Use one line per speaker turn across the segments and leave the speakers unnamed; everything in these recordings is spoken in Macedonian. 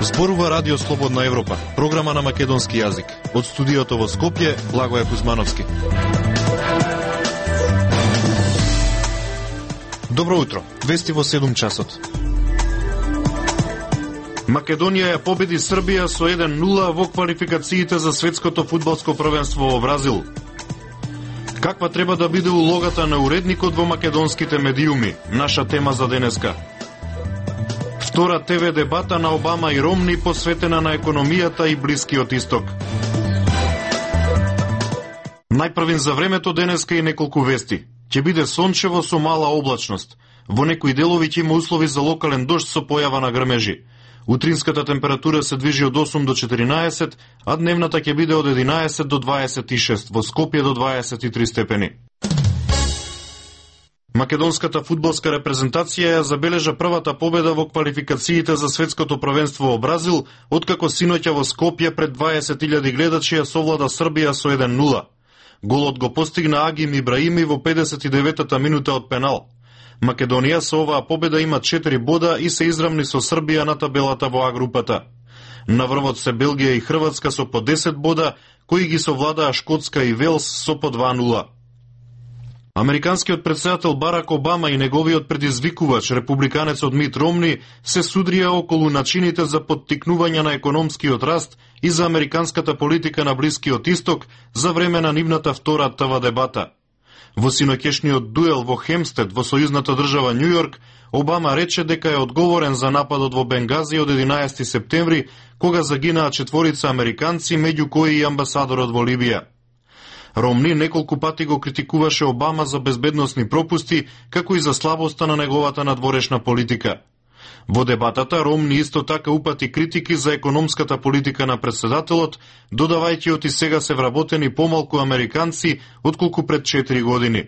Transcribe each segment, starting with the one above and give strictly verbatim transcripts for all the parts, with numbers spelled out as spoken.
Зборува Радио Слободна Европа, програма на македонски јазик. Од студиото во Скопје, Благоје Кузмановски. Добро утро, вести во седум часот. Македонија ја победи Србија со еден нула во квалификациите за светското фудбалско првенство во Бразил. Каква треба да биде улогата на уредникот во македонските медиуми? Наша тема за денеска. Втора ТВ дебата на Обама и Ромни посветена на економијата и Блискиот исток. Најпрвин за времето денеска и неколку вести. Ќе биде сончево со мала облачност. Во некои делови ќе има услови за локален дожд со појава на грмежи. Утринската температура се движи од осум до четиринаесет, а дневната ќе биде од единаесет до дваесет и шест, во Скопје до дваесет и три степени. Македонската фудбалска репрезентација ја забележа првата победа во квалификациите за светското првенство во Бразил, откако синоќа во Скопје пред дваесет илјади гледачи ја совлада Србија со еден нула. Голот го постигна Агим Ибраими во педесет и деветата минута од пенал. Македонија со оваа победа има четири бода и се изравни со Србија на табелата во А групата. На врвот се Белгија и Хрватска со по десет бода, кои ги совладаа Шкотска и Велс со по два нула. Американскиот претседател Барак Обама и неговиот предизвикувач, републиканецот Мит Ромни, се судрија околу начините за поттикнување на економскиот раст и за американската политика на Блискиот исток за време на нивната втора ТВ дебата. Во синоќешниот дуел во Хемстед, во сојузната држава Њу Јорк, Обама рече дека е одговорен за нападот во Бенгази од единаесети септември, кога загинаа четворица американци, меѓу кои и амбасадорот во Либија. Ромни неколку пати го критикуваше Обама за безбедносни пропусти, како и за слабоста на неговата надворешна политика. Во дебатата Ромни исто така упати критики за економската политика на претседателот, додавајќи оти сега се вработени помалку американци отколку пред четири години.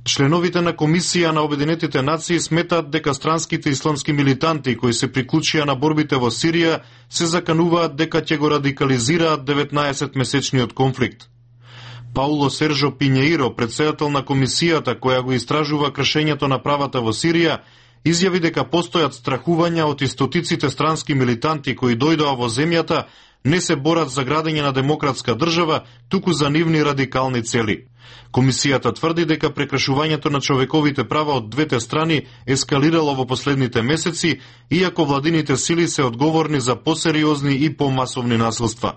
Членовите на Комисија на Обединетите нации сметаат дека странските исламски милитанти кои се приклучија на борбите во Сирија се закануваат дека ќе го радикализираат деветнаесетмесечниот конфликт. Пауло Сержо Пинјеиро, председател на комисијата која го истражува кршењето на правата во Сирија, изјави дека постојат страхувања од истотиците странски милитанти кои дојдоа во земјата, не се борат за градење на демократска држава, туку за нивни радикални цели. Комисијата тврди дека прекршувањето на човековите права од двете страни ескалирало во последните месеци, иако владините сили се одговорни за посериозни и помасовни насилства.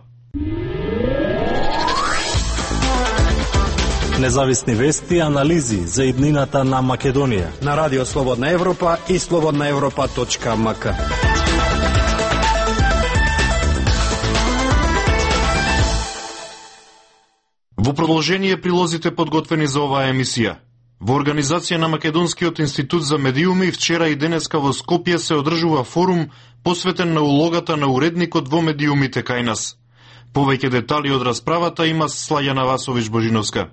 Независни вести и анализи за иднината на Македонија
на Радио Слободна Европа и слободна европа точка ем ка.
Во продолжение прилозите подготвени за оваа емисија. Во организација на Македонскиот институт за медиуми вчера и денеска во Скопје се одржува форум посветен на улогата на уредникот во медиумите кај нас. Повеќе детали од расправата има Слајана Васович Божиновска.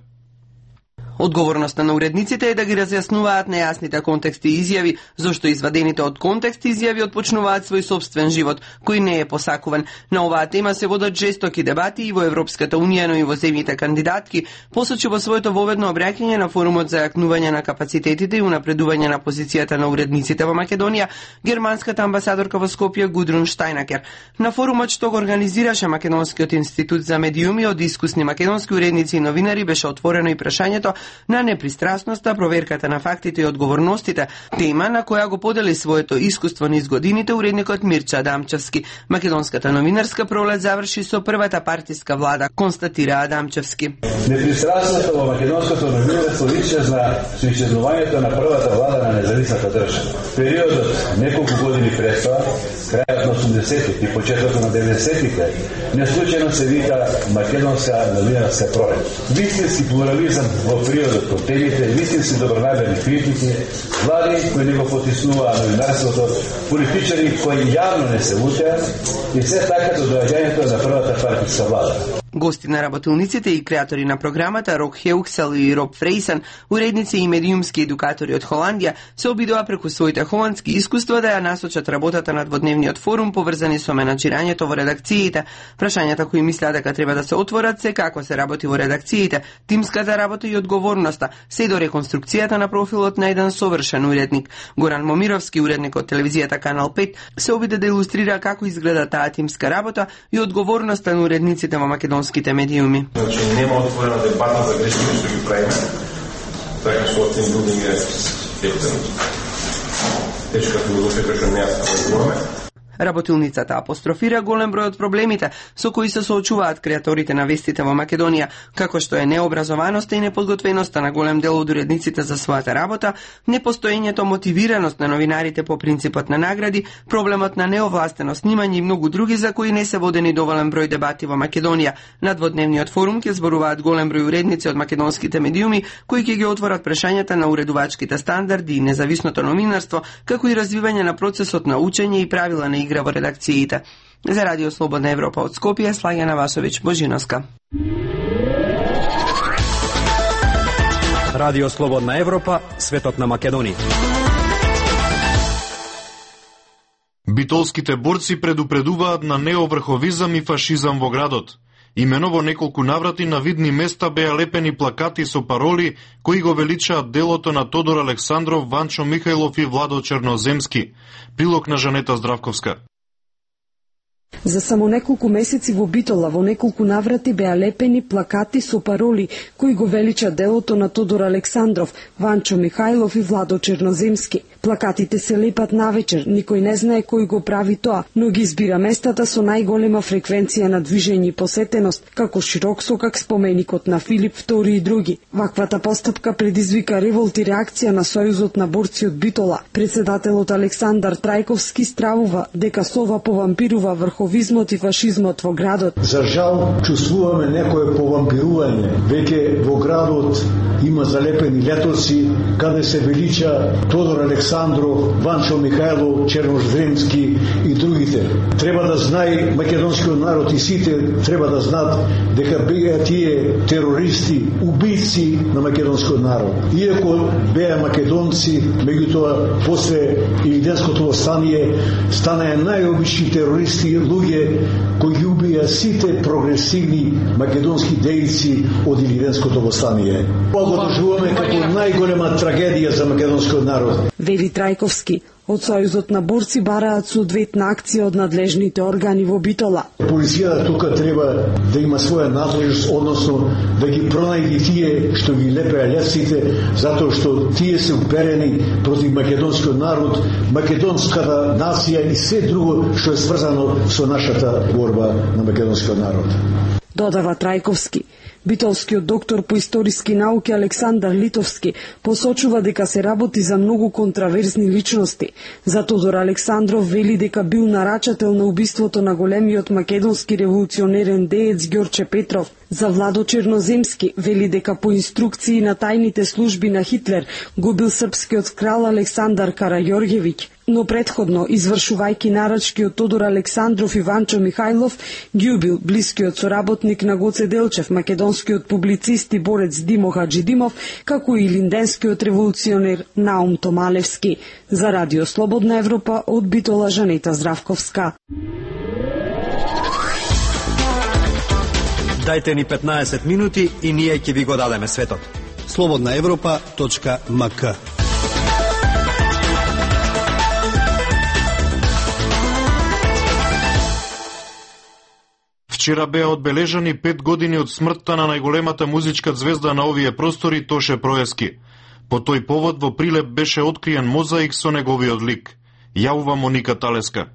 Одговорноста на уредниците е да ги разјаснуваат нејасните контексти и изјави, зашто извадените од контекст изјави отпочнуваат свој собствен живот, кој не е посакуван. На оваа тема се водат жестоки дебати и во Европската унија, но и во земјите кандидатки, посочи во своето воведно обраќање на форумот за јакнување на капацитетите и унапредување на позицијата на уредниците во Македонија, германската амбасадорка во Скопје Гудрун Штајнакер. На форумот што го организираше Македонскиот институт за медиуми од искусни македонски уредници и новинари беше отворено и прашањето на непристрасноста, проверката на фактите и одговорностите, тема на која го подели своето искуство низ годините уредникот Мирча Адамчевски. Македонската новинарска пролет заврши со првата партиска влада, констатира Адамчевски.
Непристрасноста во македонското новинарство исчезна со исчезнувањето на првата влада на независната држава. Периодот неколку години пред тоа, крајот на осумдесетите и почетокот на деветдесетите, неслучајно се вика македонска новинарска пролет. Вистински плурализам во периодот по темите, вистински добронамерни критики, влади кои не го потиснуваа новинарството, политичари кои јавно не се лутеа и се така до доаѓањето на првата партиска влада.
Гости на работилниците и креатори на програмата Рок Хеуксел и Роб Фрейсан, уредници и медиумски едукатори од Холандија, се обидоа преку своите холандски искуства да ја насочат работата на дводневниот форум поврзани со менаџирањето во редакциите. Прашањата кои мислеа дека треба да се отворат се како се работи во редакциите, тимската работа и одговорноста, се до реконструкцијата на профилот на еден совршен уредник. Горан Момировски, уредник од телевизијата Канал пет, се обиде да илустрира како изгледа таа тимска работа и одговорноста на уредниците во македонските медиуми.
Значи нема отворена дебата за грешките што ги правиме, така што од тим луѓе е ефтено. Тешка филозофија што не ја споменуваме.
Работилницата апострофира голем број од проблемите со кои се соочуваат креаторите на вестите во Македонија, како што е необразованоста и неподготвеноста на голем дел од уредниците за својата работа, непостоењето мотивираност на новинарите по принципот на награди, проблемот на неовластено снимање и многу други за кои не се водени доволен број дебати во Македонија. На дводневниот форум ќе зборуваат голем број уредници од македонските медиуми кои ќе ги отворат прашањата на уредувачките стандарди и независното новинарство, како и развивање на процесот на учење и правила на игра во редакциите. За Радио Слободна Европа од Скопје, Слагена Васовиќ Божиновска.
Радио Слободна Европа, светот на Македонија.
Битолските борци предупредуваат на неоврховизам и фашизам во градот. Имено во неколку наврати на видни места беа лепени плакати со пароли кои го величаат делото на Тодор Александров, Ванчо Михајлов и Владо Черноземски. Прилог на Жанета Здравковска.
За само неколку месеци во Битола во неколку наврати беа лепени плакати со пароли кои го велича делото на Тодор Александров, Ванчо Михајлов и Владо Черноземски. Плакатите се лепат навечер, никој не знае кој го прави тоа, но ги избира местата со најголема фреквенција на движење и посетеност, како Широксокак, споменикот на Филип втори и други. Ваквата постапка предизвика револт и реакција на Сојузот на борци од Битола. Председателот Александар Трајковски стравува дека сова повампирува врховизмот и фашизмот во градот.
За жал, чувствуваме некое повампирување. Веќе во градот има залепени летоци каде се велича Тодор Александров, Ванчо Михајлов, Черноземски и другите. Треба да знае македонскиот народ и сите треба да знаат дека беа тие терористи, убийци на македонскиот народ. Иако беа македонци, меѓутоа после Илиденското востание станаа најобични терористи, луѓе кои ги убија сите прогресивни македонски дејци од Илиденското востание. Тоа го доживуваме како најголема трагедија за македонскиот народ.
Вели Трајковски. Од Сојузот на борци бараат соодветна акција од надлежните органи во Битола.
Полицијата тука треба да има своја надлежност, односно да ги пронајде тие што ги лепеа лесите, затоа што тие се уперени против македонскиот народ, македонската нација и се друго што е сврзано со нашата борба на македонскиот народ.
Додава Трајковски. Битолскиот доктор по историски науки Александар Литовски посочува дека се работи за многу контраверзни личности. За Тодор Александров вели дека бил нарачател на убиството на големиот македонски револуционерен деец Ѓорче Петров. За Владо Черноземски вели дека по инструкции на тајните служби на Хитлер го бил српскиот крал Александар Караѓорѓевиќ. Но предходно, извршувајќи нарачки од Тодор Александров и Ванчо Михајлов, ги убил блискиот соработник на Гоце Делчев, македонскиот публицист и борец Димо Хаджидимов, како и линденскиот револуционер Наум Томалевски. За Радио Слободна Европа од Битола, Жанета Здравковска.
Дајте ни петнаесет минути и ние ќе ви го дадеме светот. слободна европа точка ем ка.
Вчера беа одбележани пет години од смртта на најголемата музичка звезда на овие простори Тоше Проески. По тој повод во Прилеп беше откриен мозаик со неговиот лик. Јавува Моника Талеска.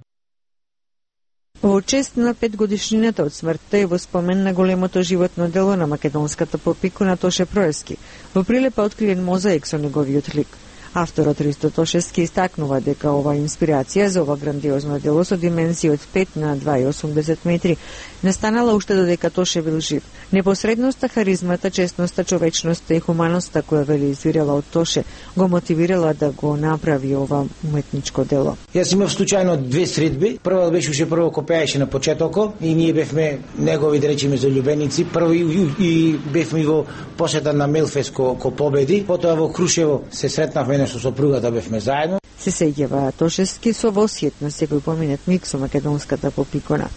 Во чест на петгодишнината од смртта и во спомен на големото животно дело на македонската попикуна Тоше Проески, во Прилеп е откриен мозаик со неговиот лик. Авторот Ристо Тошевски истакнува дека ова инспирација за ова грандиозно дело со димензија од пет на два и осумдесет метри настанала уште додека Тоше бил жив. Непосредноста, харизмата, честноста, човечноста и хуманоста која вели извирала од Тоше го мотивирала да го направи ова уметничко дело.
Јас имав случајно две средби. Прва беше уште прво кој пееше на почетокот и ние бевме негови, да речеме, залюбеници. Прво и, и, и бевме во посета на Мелфест ко, ко победи. Потоа во Крушево се сретнавме со сопругата, бевме заедно.
Се сеќава Тошевски со восјет на секој поминет миг со македонската попикона.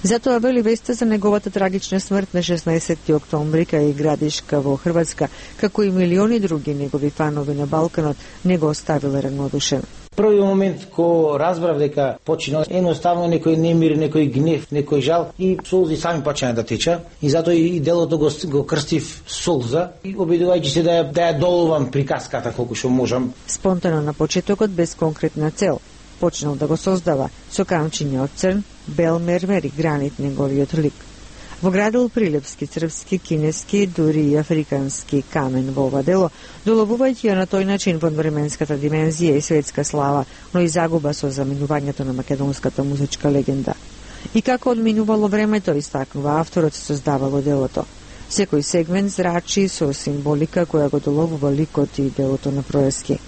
Затоа вели веста за неговата трагична смрт на шеснаесетти октомври кај Градишка во Хрватска, како и милиони други негови фанови на Балканот, не го оставила равнодушен.
Првиот момент ко разбрав дека почина едноставно некој немир, некој гнев, некој жал и солзи сами почна да теча и затоа и делото го, го крстив солза и обидувајќи се да ја, да ја долувам приказката колку што можам.
Спонтано на почетокот без конкретна цел. Почнал да го создава со камчиња од црн, бел мермер и гранит неговиот лик. Воградил прилепски, црпски, кинески, дури и африкански камен во ова дело, доловувајќи ја на тој начин во временската димензија и светска слава, но и загуба со заминувањето на македонската музичка легенда. И како одминувало времето, истакнува авторот, се создавало делото. Секој сегмент зрачи со символика која го доловува ликот и делото на Проески.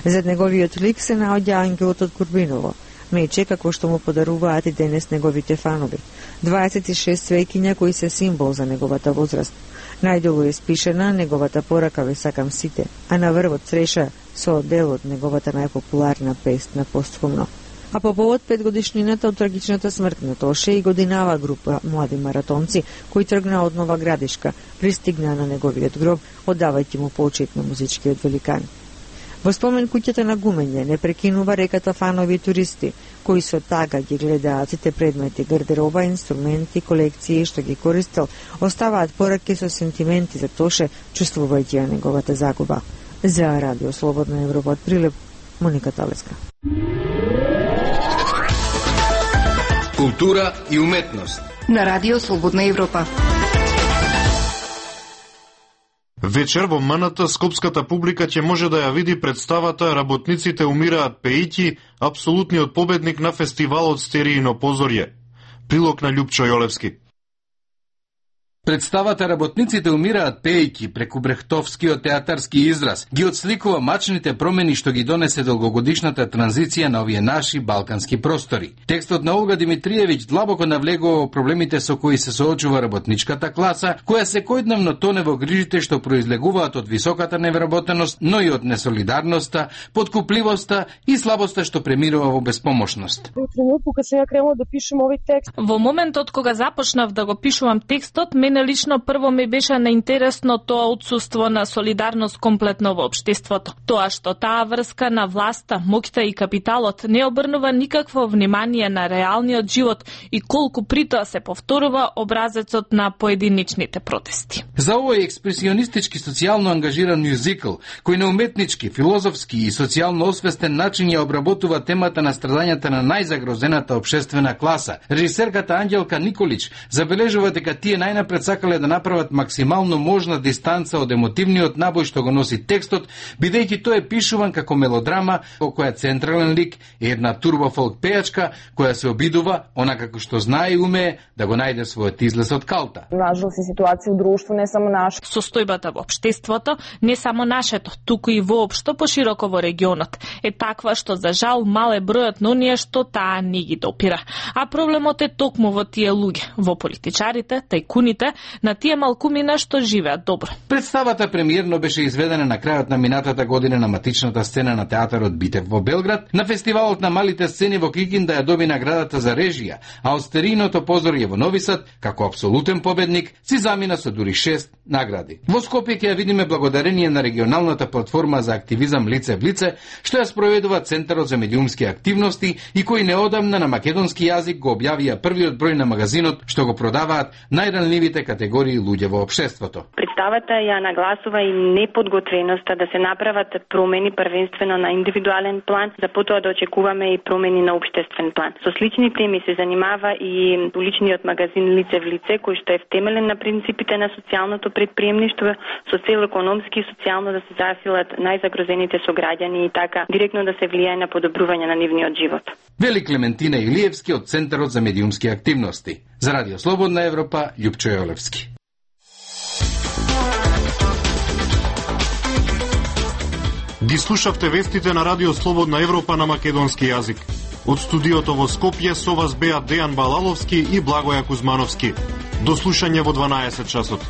Зад неговиот лик се наоѓа ангелот од Курбиново, мече како што му подаруваат и денес неговите фанови. дваесет и шест свеќиња кои се символ за неговата возраст. Најдолу е спишена неговата порака "Ве сакам сите", а на врвот цреша со дел од неговата најпопуларна песна постхумно. А по повод петгодишнината од трагичната смрт на Тоше и годинава група млади маратонци кои тргнаа од Нова Градишка, пристигнаа на неговиот гроб, оддавајќи му почит на музичкиот великан. Во спомен куќата на гумење не прекинува реката фанови и туристи, кои со тага ги гледаат сите предмети, гардероба, инструменти, колекции што ги користел, оставаат пораки со сентименти за Тоше, чувствувајќи ја неговата загуба. За Радио Слободна Европа од Прилеп, Моника Талеска.
Култура и уметност
на Радио Слободна Европа.
Вечер во МНТ скопската публика ќе може да ја види представата "Работниците умираат пејќи", апсолутниот победник на фестивалот Стериино позорје. Прилог на Љупчо Јолевски.
Представата "Работниците умираат пејќи" преку брехтовскиот театарски израз ги отсликува мачните промени што ги донесе долгогодишната транзиција на овие наши балкански простори. Текстот на Олга Димитриевиќ длабоко навлегува во проблемите со кои се соочува работничката класа, која секојдневно тоне во грижите што произлегуваат од високата невработеност, но и од несолидарноста, подкупливоста и слабоста што премирува во безпомошност.
Во тренутку кога се ја кренала да пишем овој текст,
во моментот кога започнав да го пишувам текстот, мене лично прво ми беше неинтересно тоа отсуство на солидарност комплетно во општеството. Тоа што таа врска на власта, моќта и капиталот не обрнува никакво внимание на реалниот живот и колку притоа се повторува образецот на поединичните протести.
За овој експресионистички социјално ангажиран мюзикл, кој на уметнички, филозофски и социјално освестен начин ја обработува темата на страдањата на најзагрозената општествена класа, режисерката Анѓелка Николич забележува дека тие најнапред сакале да направат максимално можна дистанца од емотивниот набој што го носи текстот, бидејќи тој е пишуван како мелодрама во која централен лик е една турбофолк пејачка која се обидува, она како што знае и умее, да го најде својот излез од калта.
Нажалост и ситуација во друштво не само наш.
Состојбата во општеството, не само нашето, туку и воопшто пошироко во регионот, е таква што за жал мал е бројот на оние што таа не ги допира. А проблемот е токму во тие луѓе, во политичарите, тајкуните, на тие малкумина што живеат добро.
Представата премиерно беше изведена на крајот на минатата година на матичната сцена на театарот Битев во Белград, на фестивалот на малите сцени во Кикинда ја доби наградата за режија, а од Стерииното позорје во Нови Сад, како апсолутен победник, си замина со дури шест награди. Во Скопје ќе ја видиме благодарение на регионалната платформа за активизам Лице в лице, што ја спроведува Центарот за медиумски активности и кои неодамна на македонски јазик го објавија првиот број на магазинот што го продаваат најранливите категории луѓе во општеството.
Представата ја нагласува и неподготвеноста да се направат промени првенствено на индивидуален план, за потоа да очекуваме и промени на општествен план. Со слични теми се занимава и уличниот магазин Лице в лице, кој што е втемелен на принципите на социјалното предприемништво, со цел економски и социјално да се засилат најзагрозените сограѓани и така директно да се влијае на подобрување на нивниот живот.
Вели Клементина Илиевски од Центарот за медиумски активности. За Радио Слободна Европа, Љупчо Јолевски.
Ги слушавте вестите на Радио Слободна Европа на македонски јазик. Од студиото во Скопје со вас беа Дејан Балаловски и Благоја Кузмановски. До слушање во дванаесет часот.